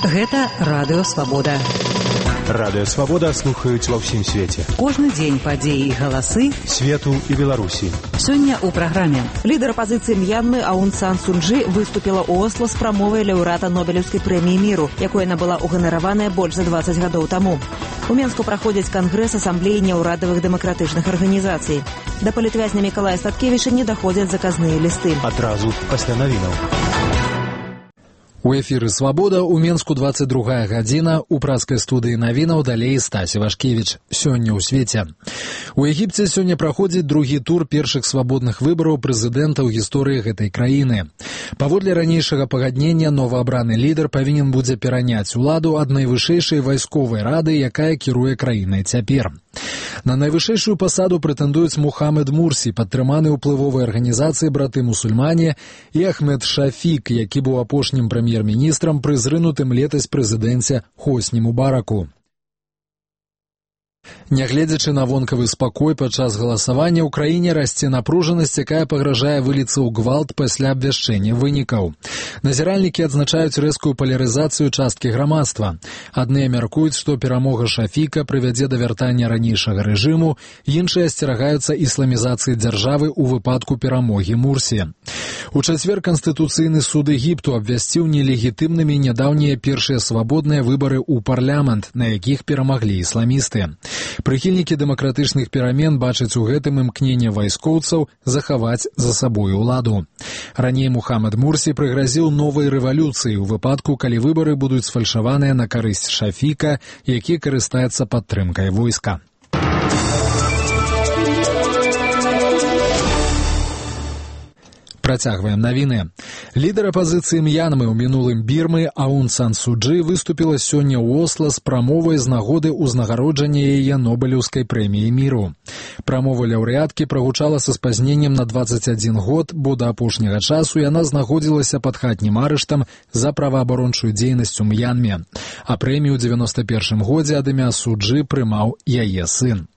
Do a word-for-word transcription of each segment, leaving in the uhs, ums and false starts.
Гэта Радыё Свабода. Радыё Свабода слухаюць ва ўсім свеце. Кожны дзень падзеі і галасы свету і Беларусі. Сёння ў праграме. Лідар апазіцыі М'янмы Аун Сан Су Чжы выступіла ў Осла з прамовай лаўрэата Нобелеўскай прэміі міру, якой яна была ўганараваная больш за дваццаць гадоў таму. У Менску праходзіць кангрэс асамблеі няўрадавых дэмакратычных арганізацый. Да палітвязня Мікалая Статкевіча не даходзяць заказныя лісты. Адразу пасля навінаў. У эфіры «Свабода» у Менску двадцать другая гадзіна, у праскай студыі навінаў далей Стась Івашкевіч. Сёння ў свеце. У Егіпце сёння праходзіць другі тур першых свабодных выбараў прэзідэнта ў гісторыі гэтай краіны. Паводле ранейшага пагаднення, новаабраны лідар павінен будзе пераняць уладу ад найвышэйшай вайсковай рады, якая кіруе краінай цяпер. На найвышэйшую пасаду прэтэндуюць Мухаммед Мурсі, падтрыманы ўплывовай арганізацыі браты-мусульмане, і Ахмед Шафік, які быў апошнім прэм'ер-міністрам пры зрынутым летась прэзідэнце Хосні Мубараку. Нягледзячы на вонкавы спакой падчас галасавання, ў краіне расце напружанасць, якая пагражае выліцца ў гвалт пасля абвяшчэння вынікаў. Назіральнікі адзначаюць рэзкую палярызацыю часткі грамадства. Адныя мяркуюць, што перамога Шафіка прывядзе да вяртання ранейшага рэжыму, іншыя асцерагаюцца ісламізацыі дзяржавы ў выпадку перамогі Мурсі. У чацвер Канстытуцыйны суд Егіпту абвясціў нелегітымнымі нядаўнія першыя свабодныя выбары ў парламент, на якіх перамаглі ісламісты. Прыхільнікі дэмакратычных перамен бачаць у гэтым імкненне вайскоўцаў захаваць за сабой уладу. Раней Мухаммед Мурсі прыгразіў новай рэвалюцыі ў выпадку, калі выбары будуць сфальшаваныя на карысць Шафіка, які карыстаецца падтрымкай войска. Працягваем навіны. Лідар апазіцыі М'янмы ў мінулым Бірмы Аун Сан Су Чжы выступіла сёння ў Осла з прамовай з нагоды ўзнагароджання яе Нобелеўскай прэміі міру. Прамова лаўрэаткі прагучала са спазненнем на дваццаць адзін год, бо да апошняга часу яна знаходзілася пад хатнім арыштам за праваабарончую дзейнасць у М'янме. А прэмію ў дзевяноста першым годзе ад імя Су Чжы прымаў яе сын.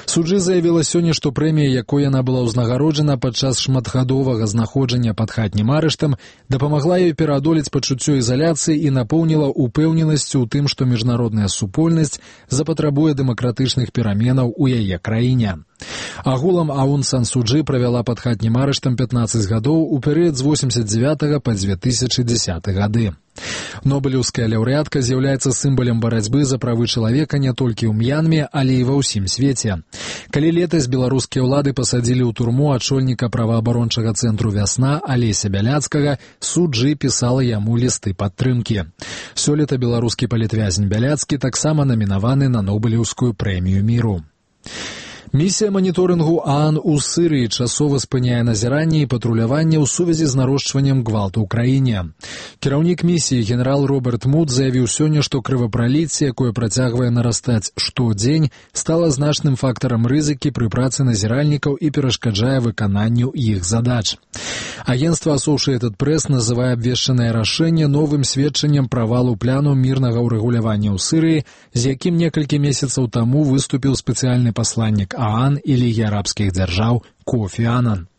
Су Чжы заявіла сёння, што прэмія, якой яна была ўзнагароджана падчас шматгадовага знаходжання пад хатнім арыштам, дапамагла ёй пераадолець пачуццё ізаляцыі і напоўніла упэўненасцю ў тым, што міжнародная супольнасць запатрабуе дэмакратычных пераменаў у яе краіне. Агулам Аун Сан Су Чжы правяла пад хатнім арыштам пятнаццаць гадоў у перыяд з восемьдесят девятага па две тысячи десятый гады. Нобелеўская лаўрэатка з'яўляецца сімвалам барацьбы за правы чалавека не толькі ў М'янме, але і ва ўсім свеце. Калі летась беларускія ўлады пасадзілі ў турму ачольніка праваабарончага цэнтру «Вясна» Алеся Бяляцкага, Су Чжы пісала яму лісты падтрымкі. Сёлета беларускі палітвязень Бяляцкі таксама намінаваны на Нобелеўскую прэмію міру. Місія маніторынгу ААН у Сырыі часова спыняе назіранне і патруляванне ў сувязі з нарошчваннем гвалту ў краіне. Кіраўнік місіі генерал Роберт Муд заявіў сёння, што крывапраліцце, якое працягвае нарастаць штодзень, стала значным фактарам рызыкі пры працы назіральнікаў і перашкаджае выкананню іх задач. Агенцтва Associated Press называе абвешчанае рашэнне новым сведчаннем правалу пляну мірнага ўрэгулявання ў Сырыі, з якім некалькі месяцаў таму выступіў спецыяльны пасланнік ААН і Лігі арабскіх дзяржаў Кофі Анан.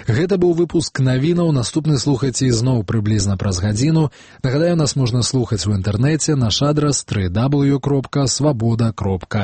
Гэта быў выпуск навінаў, наступны слухайце ізноў прыблізна праз гадзіну. Нагадаю, нас можна слухаць у інтэрнэце, наш адрас дабл ю дабл ю дабл ю кропка свабода кропка